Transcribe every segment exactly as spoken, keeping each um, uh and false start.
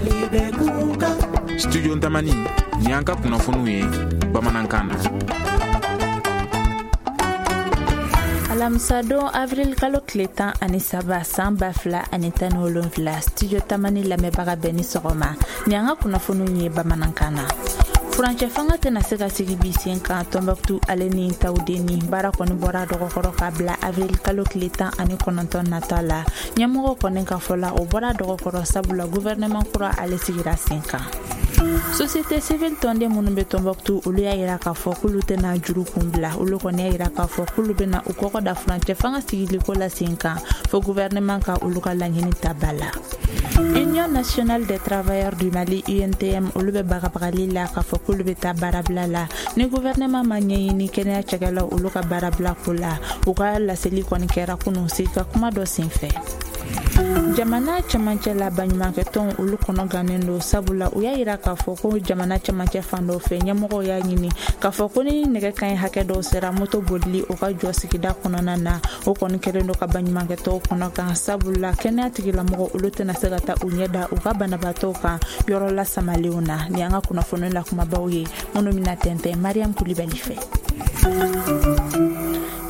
Mali bɛ kuka. Studio Tamani, ni an ka kunnafoniw ye bamanankan na. Alamisadon avril kalo tile tan ani saba san ba fila ani tan ni wolonfila, Studio Tamani lamɛnbaga bɛɛ ni sɔgɔma. Ni an ka kunnafoniw ye bamanankan na. Furancɛ fanga tɛna se ka sigi bi sen kan Tɔnbɔkutu ale ni Tawudeni. Baara kɔni bɔra dɔgɔkɔrɔ ka bila avril kalo tile tan ani kɔnɔntɔn nata la. Ɲɛmɔgɔw kɔni ka fɔ la, o bɔra dɔgɔkɔrɔ sabula gouvernement kura ale sigira sen kan. Société civile tɔnden minnu bɛ Tɔnbɔkutu, olu y'a yira k'a fɔ k'olu tɛna juru kun bila. Olu kɔni y'a yira k'a fɔ k'olu bɛna u kɔkɔ da furancɛ fanga sigiliko la sen kan fo gouvernement ka olu ka laɲini ta ba la. Union nationale des travailleurs du Mali, U N T M, olu bɛ bagabagali la k'a fɔ k'olu bɛ taa baarabila la ni gouvernement ma ɲɛɲini kɛnɛya cakɛlaw olu ka baarabila ko la. U ka laseli kɔni kɛra kunun sigi ka kuma dɔ senfɛ. Jamana cɛmancɛ la baɲumankɛtɔnw olu kɔnɔ gannen don, sabula u y'a yira k'a fɔ ko jamana cɛmancɛ fan dɔw fɛ ɲɛmɔgɔw y'a ɲini k'a fɔ ko ni nɛgɛ kanɲɛ hakɛ dɔw sera moto bolili o ka jɔ sigida kɔnɔna na. O kɔni kɛlen don ka baɲumankɛtɔnw kɔnɔ gan, sabula kɛnɛya tigilamɔgɔw olu tɛna se ka taa u ɲɛ da u ka banabaatɔw kan yɔrɔ lasamalenw na. Ni an ka kunnafoni la kumabaw ye minnu bɛna tɛntɛn Mariam Kulibali fɛ.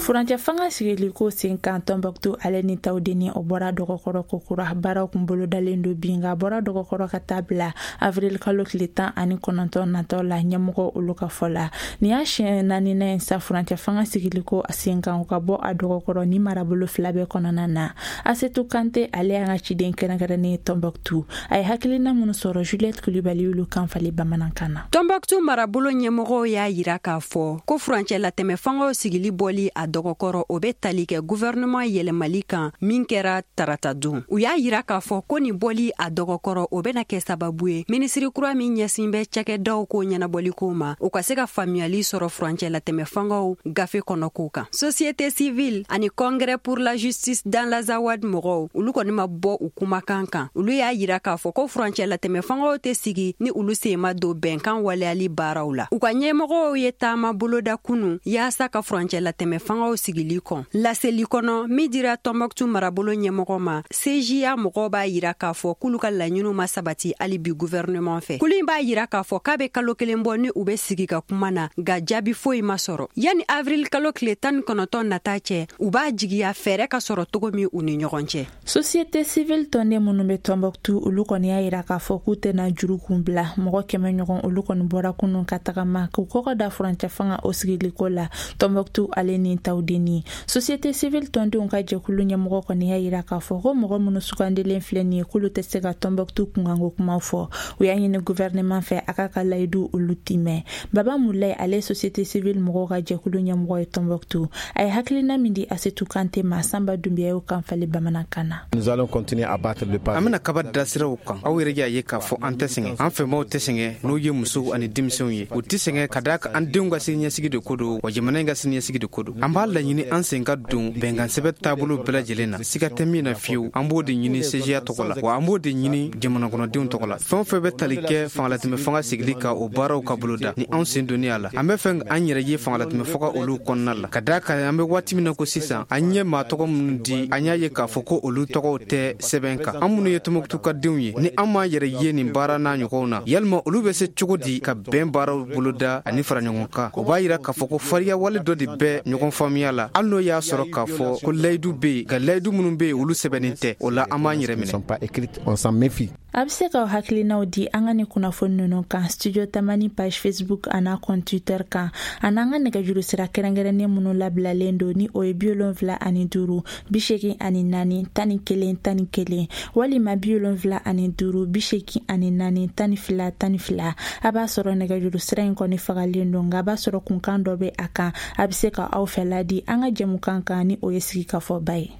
Furancɛ fanga sigiliko sen kan Tɔnbɔkutu ale ni Tawudeni, o bɔra dɔgɔkɔrɔ kokura. Baaraw kun bolodalen don bi, nka a bɔra dɔgɔkɔrɔ ka taa bila avril kalo tile tan ani kɔnɔntɔn natɔ la ɲɛmɔgɔ olu ka fɔ la. Nin y'a siɲɛ naaninan ye sa furancɛ fanga sigiliko sen kan o ka bɔ a dɔgɔkɔrɔ ni marabolo fila bɛɛ kɔnɔna na. Asetu Kante ale y'an ka ciden kɛrɛnkɛrɛnnen ye Tɔnbɔkutu. A ye hakilina minnu sɔrɔ Juliette Kulibali y'olu kan falen bamanankan na. Tɔnbɔkutu marabolo ɲɛmɔgɔw y'a yira k'a fɔ ko furancɛ latɛmɛ fangaw sigili bɔli a dɔgɔkɔrɔ o bɛ tali kɛ gouvernement yɛlɛmali kan min kɛra tarata don. U y'a yira k'a fɔ ko nin bɔli a dɔgɔkɔrɔ o bɛna kɛ sababu ye minisiri kura min ɲɛsin bɛ cakɛdaw ko ɲɛnabɔliko ma, o ka se ka faamuyali sɔrɔ furancɛ latɛmɛ fangaw gafe kɔnɔko kan. Société civile ani Congrès pour la justice dans l'Azawad mɔgɔw, olu kɔni ma bɔ u kumakan kan. Olu y'a yira k'a fɔ ko furancɛ latɛmɛ fangaw tɛ sigi ni olu sen ma don bɛnkan waleyali baaraw la. U ka ɲɛmɔgɔw ye taama boloda kunu yaasa ka furancɛ latɛmɛ fangaw sigili kɔn. Laseli kɔnɔ min dira Tɔnbɔkutu marabolo ɲɛmɔgɔ ma, C J A mɔgɔw b'a yira k'a fɔ k'olu ka laɲiniw ma sabati hali bi gouvernement fɛ. Kulu in b'a yira k'a fɔ k'a bɛ kalo kelen bɔ ni u bɛ sigi ka kuma na, nka jaabi foyi ma sɔrɔ. Yanni avril kalo tile tan ni kɔnɔntɔn nata cɛ, u b'a jigiya fɛɛrɛ ka sɔrɔ cogo min u ni ɲɔgɔn cɛ. Société civile tɔnden minnu bɛ Tɔnbɔkutu, olu kɔni y'a yira k'a fɔ k'u tɛna juru kun bila. Mɔgɔ kɛmɛ ɲɔgɔn olu kɔni bɔra kunun ka tagama k'u kɔkɔ da furancɛ fanga o sigiliko la Tɔnbɔkutu ale ni Tawudeni. Société civile tɔndenw ka jɛkulu ɲɛmɔgɔ kɔni y'a yira k'a fɔ ko mɔgɔ minnu sugandilen filɛ nin ye k'olu tɛ se ka Tɔnbɔkutu kunkanko kumaw fɔ. U y'a ɲini gouvernement fɛ a k'a ka layidu olu timɛ. Baba Mulayi ale société civile mɔgɔw ka jɛkulu ɲɛmɔgɔ ye Tɔnbɔkutu. A ye hakilina min di Asetu Kante ma, Sanba Dunbiya y'o kan falen bamanankan na. An bɛna kaba da siraw kan. Aw yɛrɛ y'a ye k'a fɔ an tɛ sɛgɛn, an fɛnbaw tɛ sɛgɛn, n'o ye musow ani denmisɛnw ye. U tɛ sɛgɛn ka d'a kan an denw ka siniɲɛsigi de ko don, wa jamana in ka siniɲɛsigi de ko don. An b'a laɲini an sen ka don bɛnkan sɛbɛn taabolo bɛɛ lajɛlen na, siga tɛ min na fiyewu. An b'o de ɲini C J A tɔgɔ la, wa an b'o de ɲini jamanakɔnɔdenw tɔgɔ la. Fɛn o fɛn bɛ tali kɛ fangalatɛmɛ fanga sigili kan, o baaraw ka boloda ni anw sen donni a la. An bɛ fɛ an yɛrɛ ye fangalatɛmɛ fanga olu kɔnɔna la, ka d'a kan an bɛ waati min na ko sisan, an ye maa tɔgɔ minnu di, an y'a ye k'a fɔ ko olu tɔgɔw tɛ sɛbɛn kan. An minnu ye Tɔnbɔkutu ka denw ye, ni an m'an yɛrɛ ye nin baara n'a ɲɔgɔnw na, yalima olu bɛ se cogo di ka bɛn baaraw boloda ani fara ɲɔgɔn kan? O b'a yira k'a fɔ ko fariya wale dɔ de bɛ ɲɔgɔn faamuya la, hali n'o y'a sɔrɔ k'a fɔ ko layidu bɛ yen, nka layidu minnu bɛ yen olu sɛbɛnnen tɛ. O la an b'an yɛrɛ minɛ. A bɛ se k'aw hakilinaw di an ka nin kunnafoni ninnu kan Studio Tamani page Facebook an'a compte Twitter kan, an'an ka nɛgɛjuru sira kɛrɛnkɛrɛnnen minnu labilalen don ni o ye bi wolonfila ani duuru bi seegin ani naani tan ni kelen tan ni kelen walima bi wolonfila ani duuru bi seegin ani naani tan ni fila tan ni fila. A b'a sɔrɔ nɛgɛjuru sira in kɔni fagalen don, nka a b'a sɔrɔ kunkan dɔ bɛ a kan. A bɛ se ka aw fɛla di an ka jɛmukan kan ni o ye sigikafɔba ye.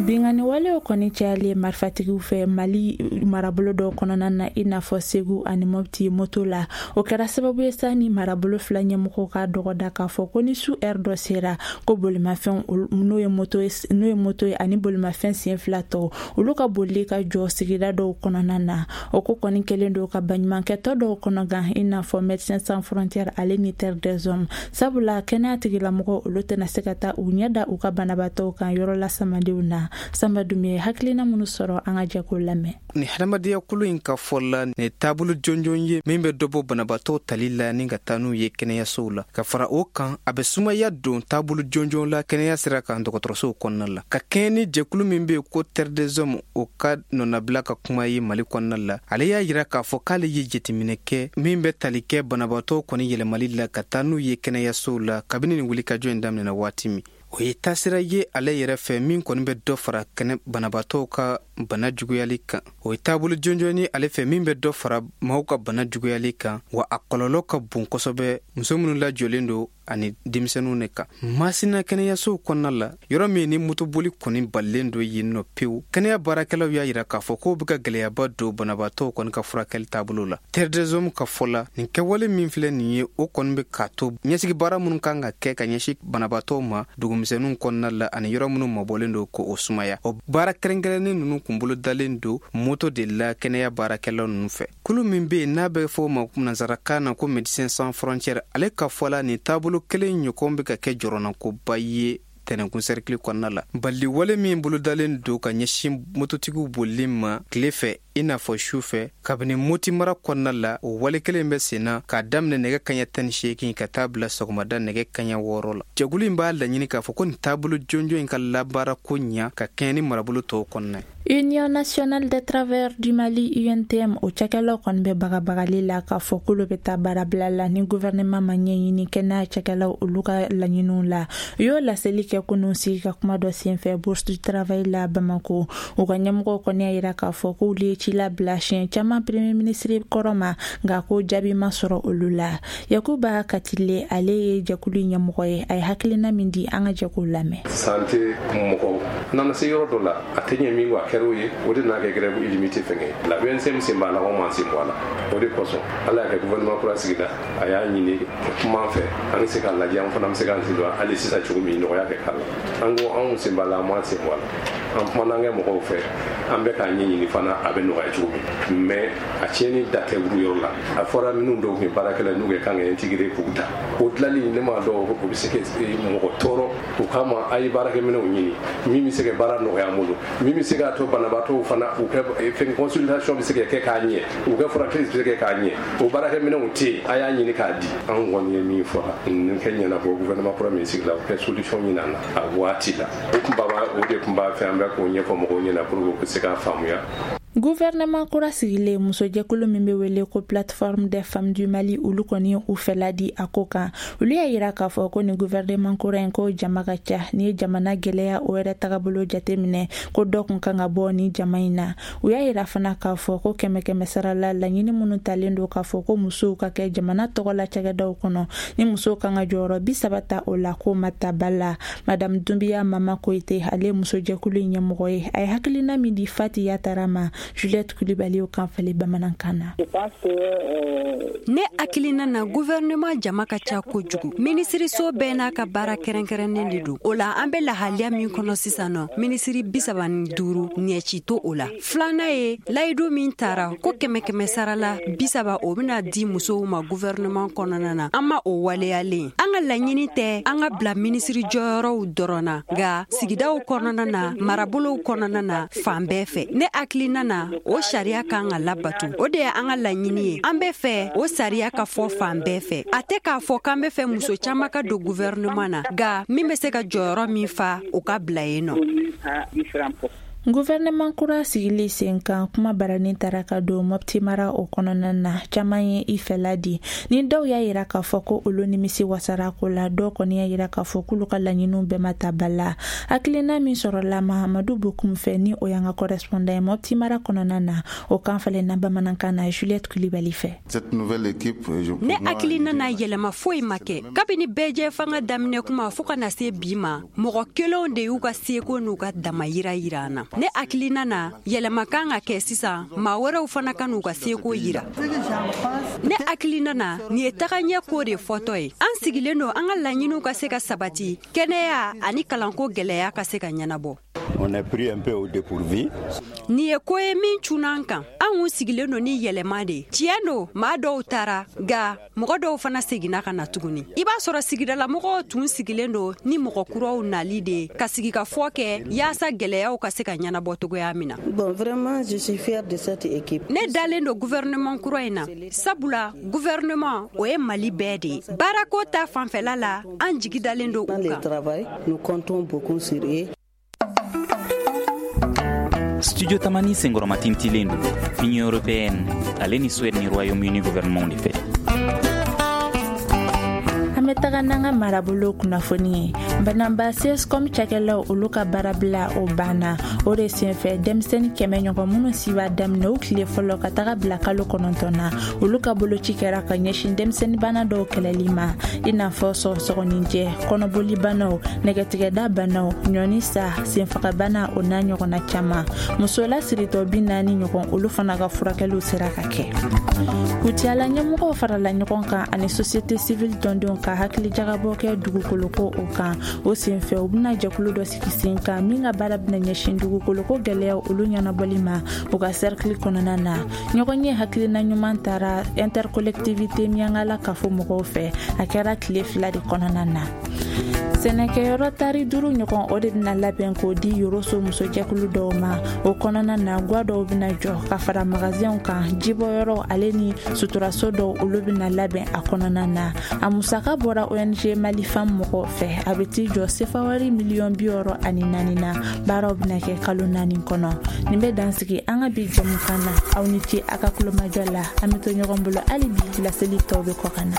Binkanni walew kɔni cayalen marifatigiw fɛ Mali marabolo dɔw kɔnɔna na, i n'a fɔ Segu ani Mopti moto la. O kɛra sababu ye sa ni marabolo fila ɲɛmɔgɔw ka dɔgɔda k'a fɔ ko ni su ɛri dɔ sera ko bolimafɛn n'o ye moto ye n'o ye moto ye ani bolimafɛn sen fila tɔw olu ka bolili ka jɔ sigida dɔw kɔnɔna na. O ko kɔni kɛlen don ka baɲumankɛtɔ dɔw kɔnɔ gan, i n'a fɔ Médecins Sans Frontières ale ni Terre des Hommes, sabula kɛnɛya tigilamɔgɔw olu tɛna se ka taa u ɲɛ da u ka banabaatɔw kan yɔrɔ lasamadenw na. Sanba Dunbiya ye hakilina minnu sɔrɔ, an ka jɛ k'o lamɛn. Ni hadamadenya kulu in ka fɔ la, nin taabolo jɔnjɔn ye min bɛ dɔ bɔ banabaatɔw tali la ni ka taa n'u ye kɛnɛyasow la. Ka fara o kan, a bɛ sumaya don taabolo jɔnjɔn la kɛnɛya sira kan dɔgɔtɔrɔsow kɔnɔna la. Ka kɛɲɛ ni jɛkulu min bɛ yen ko Terre des Hommes, o ka nɔnabila ka kuma ye Mali kɔnɔna la, ale y'a yira k'a fɔ k'ale ye jateminɛ kɛ min bɛ tali kɛ banabaatɔw kɔni yɛlɛmali la ka taa n'u ye kɛnɛyasow la kabini nin wulikajɔ in daminɛna waati min. O ye taasira ye ale yɛrɛ fɛ min kɔni bɛ dɔ fara kɛnɛ banabaatɔw ka bana juguyali kan. O ye taabolo jɔnjɔn ye ale fɛ min bɛ dɔ fara maaw ka bana juguyali kan, wa a kɔlɔlɔ ka bon kosɛbɛ muso minnu lajɔlen don ani denmisɛnninw de kan. Masina kɛnɛyasow kɔnɔna la, yɔrɔ min ni motoboli kɔni balilen don yen nɔ pewu, kɛnɛya baarakɛlaw y'a yira k'a fɔ k'o bɛ ka gɛlɛyaba don banabaatɔw kɔni ka furakɛli taabolo la. Terre des Hommes ka fɔ la, nin kɛwale min filɛ nin ye, o kɔni bɛ k'a to ɲɛsigi baara minnu kan ka kɛ ka ɲɛsin banabaatɔw ma dugumisɛnninw kɔnɔna la ani yɔrɔ minnu mabɔlen don k'o sumaya. O baara kɛrɛnkɛrɛnnen ninnu kun bolo dalen don moto de la kɛnɛya baarakɛlaw ninnu fɛ. Kulu min bɛ yen n'a bɛ fɔ o ma nansarakan na ko Médecins Sans Frontières, ale ka fɔ la nin taabolo kelen ɲɔgɔn bɛ ka kɛ jɔrɔnankoba ye tɛnɛnkun sɛrikili kɔnɔna la. Baliwale min bolodalen don ka ɲɛsin mototigiw bolili ma tile fɛ i n'a fɔ su fɛ kabini Moti mara kɔnɔna la, o wale kelen bɛ sen na k'a daminɛ nɛgɛ kaɲɛ tan ni seegin ka taa bila sɔgɔmada nɛgɛ kaɲɛ wɔɔrɔ la. Jɛkulu in b'a laɲini k'a fɔ ko nin taabolo jɔnjɔn in ka labaara ko ɲa ka kɛɲɛ ni marabolo tɔw kɔnɔna ye. Union nationale des travailleurs du Mali U N T M, o cakɛlaw kɔni bɛ bagabagali la k'a fɔ k'olu bɛ taa baarabila la ni gouvernement ma ɲɛɲini kɛnɛya cakɛlaw olu ka laɲiniw la. U y'o laseli kɛ kunun sigi ka kuma dɔ senfɛ Bourse du Travail la Bamako. U ka ɲɛmɔgɔw kɔni y'a yira k'a fɔ k'olu ye ci labila siɲɛ caman premier ministre kɔrɔ ma, nka ko jaabi ma sɔrɔ olu la. Yakuba Katile, ale ye jɛkulu ɲɛmɔgɔ ye, a ye hakilina min di, an ka jɛ k'o lamɛn. Santé mɔgɔw nana se yɔrɔ dɔ la, a tɛ ɲɛ min kɔ, a kɛra o ye, o de n'a kɛ grève illimité fɛngɛ la. U N C M sen b'a la, anw m'an sen bɔ a la. O de kosɔn Ala y'a kɛ gouvernement kura sigida, a y'a ɲini kuma an fɛ, an bɛ se k'a lajɛ, an fana bɛ se k'an sen don hali sisan cogo min nɔgɔya kɛ k'a la. An ko anw sen b'a la, an m'an sen bɔ a la. An kumana an kɛ mɔgɔw fɛ, an bɛ k'a ɲɛɲini fana a bɛ nɔgɔya cogo min, mais a tiɲɛni da tɛ wuru yɔrɔ la. A fɔra minnu dɔw tun ye baarakɛla n'u kɛ kan ka intégrer k'u ta, o dilanli ne m'a dɔn o bɛ se ka mɔgɔ tɔɔrɔ. O kama a ye baarakɛminɛnw ɲini min bɛ se ka baara nɔgɔya an bolo, min bɛ se k'a to banabaatɔw fana u kɛ fɛn consultation bɛ se ka kɛ k'a ɲɛ, u ka furakɛli bɛ se ka kɛ k'a ɲɛ. O baarakɛminɛnw tɛ yen, a y'a ɲini k'a di. An kɔni ye min fɔ nin kɛ ɲɛnabɔ gouvernement kura min sigila, o kɛ solution ɲini an na a waati la. O kun b'a o de tun b'a fɛ an bɛ k'o ɲɛfɔ mɔgɔw ɲɛna pour que u ka se k'a faamuya. Gouvernement kura sigilen, musojɛkulu min bɛ wele ko Plateforme des femmes du Mali, olu kɔni ye u fɛla di a ko kan. Olu y'a yira k'a fɔ ko nin gouvernement kura in ko jama ka ca. Ni ye jamana gɛlɛya o yɛrɛ tagabolo jateminɛ, ko dɔ kun kan ka bɔ ni jama in na. U y'a yira fana k'a fɔ ko kɛmɛ kɛmɛ sara la, laɲini minnu talen don k'a fɔ ko musow ka kɛ jamana tɔgɔ la cakɛdaw kɔnɔ, ni musow kan ka jɔyɔrɔ bi saba ta o la, k'o ma ta ba la. Madame Dunbiya Mama Koyite, ale ye musojɛkulu in ɲɛmɔgɔ ye, a ye hakilina min di Fati Yatara ma, Juliette Coulibaly o kan falen bamanankan na. Ne hakilina na, gouvernement jama ka ca kojugu. Minisiriso bɛɛ n'a ka baara kɛrɛnkɛrɛnnen de don. O la an bɛ lahaliya min kɔnɔ sisan nɔ, minisiri bi saba ni duuru ɲɛci to o la. Filanan ye layidu min taara ko kɛmɛ kɛmɛ sara la bi saba o bɛna di musow ma gouvernement kɔnɔna na, an ma o waleyalen. An ka laɲini tɛ an ka bila minisiri jɔyɔrɔw dɔrɔn na, nka sigidaw kɔnɔna na, marabolow kɔnɔna na, fan bɛɛ fɛ. Ne hakilina na, o sariya kan ka labato. O de ye an ka laɲini ye. An bɛ fɛ o sariya ka fɔ fan bɛɛ fɛ. A tɛ k'a fɔ k'an bɛ fɛ muso caman ka don gouvernement na, nka min bɛ se ka jɔyɔrɔ min fa, o ka bila yen nɔ. Gouvernement kura sigili sen kan, kuma baranin taara ka don Mopti mara o kɔnɔna na, caman ye i fɛla di. Ni dɔw y'a yira k'a fɔ ko olu nimisi wasara ko la, dɔw kɔni y'a yira k'a fɔ k'olu ka laɲiniw bɛɛ ma ta ba la. Hakilina min sɔrɔla Mahamadu Bokum fɛ, ni o y'an ka correspondant ye Mopti mara kɔnɔna na, o kan falenna bamanankan na Juliette Coulibaly fɛ. Ne hakilina na, yɛlɛma foyi ma kɛ. Kabini bɛɛjɛ fanga daminɛ kuma fo ka na se bi ma, mɔgɔ kelenw de y'u ka seko n'u ka dama yira yira an na. Ne hakilina na, yɛlɛma kan ka kɛ sisan, maa wɛrɛw fana ka n'u ka seko yira. Ne hakilina na, nin ye tagaɲɛ ko de fɔtɔ ye. An sigilen don an ka laɲiniw ka se ka sabati, kɛnɛya ani kalanko gɛlɛya ka se ka ɲɛnabɔ. On est pris un peu au dépourvu. Nin ye ko ye min cunna an kan. An kun sigilen don ni yɛlɛma de ye. Tiɲɛ don, maa dɔw taara, nka mɔgɔ dɔw fana seginna ka na tuguni. I b'a sɔrɔ sigidalamɔgɔw tun sigilen don ni mɔgɔ kuraw nali de ye ka sigikafɔ kɛ yaasa gɛlɛyaw ka se ka ɲɛnabɔ cogoya min na. Bon, vraiment, je suis fière de cette équipe. Ne dalen don gouvernement kura in na, sabula gouvernement o ye Mali bɛɛ de ye. Baarako ta fanfɛla la, an jigi dalen don u kan. Travail, nous comptons beaucoup sur eux. Studio Tamani senkɔrɔma tintilen don Union européenne ale ni Suède ni Royaume-Uni gouvernement de fɛ. An bɛ taga n'an ka marabolo kunnafoni ye. Bananba C S C O M cakɛlaw, olu ka baarabila o banna. O de senfɛ, denmisɛnnin kɛmɛ ɲɔgɔn minnu si b'a daminɛ o tile fɔlɔ ka taga bila kalo kɔnɔntɔn na, olu ka boloci kɛra ka ɲɛsin denmisɛnnin bana dɔw kɛlɛli ma, i n'a fɔ sɔgɔsɔgɔninjɛ, kɔnɔboli banaw, nɛgɛtigɛda banaw, ɲɔni sa, senfagabana, o n'a ɲɔgɔnna caman. Musola siritɔ bi naani ɲɔgɔn, olu fana ka furakɛliw sera ka kɛ. Kucala ɲɛmɔgɔw farala ɲɔgɔn kan ani société civile tɔndenw ka hakili jagabɔ kɛ dugukoloko o kan. O senfɛ, u bɛna jɛkulu dɔ sigi sen kan min ka baara bɛna ɲɛsin dugukoloko gɛlɛyaw olu ɲɛnabɔli ma u ka cercle kɔnɔna na. Ɲɔgɔn ye hakilina ɲuman taara intercollectivité Miyankala kafo mɔgɔw fɛ. A kɛra tile fila de kɔnɔna na. Sɛnɛkɛyɔrɔ tari duuru ɲɔgɔn, o de bɛna labɛn k'o di Yoroso musojɛkulu dɔw ma. O kɔnɔna na, gwa dɔw bɛna jɔ ka fara magasinw kan, jibɔyɔrɔ ale ni suturaso dɔw, olu bɛna labɛn a kɔnɔna na. A musaka bɔra O N G Malifam mɔgɔw fɛ. A bɛ t'i jɔ sefawari miliyɔn bi wɔɔrɔ ani naani na. Baaraw bɛna kɛ kalo naani kɔnɔ. Nin bɛ dansigi an ka bi jɛmukan na. Aw ni ce a ka kulomajɔ la. An bɛ to ɲɔgɔn bolo hali bi, laseli tɔw bɛ kɔ ka na.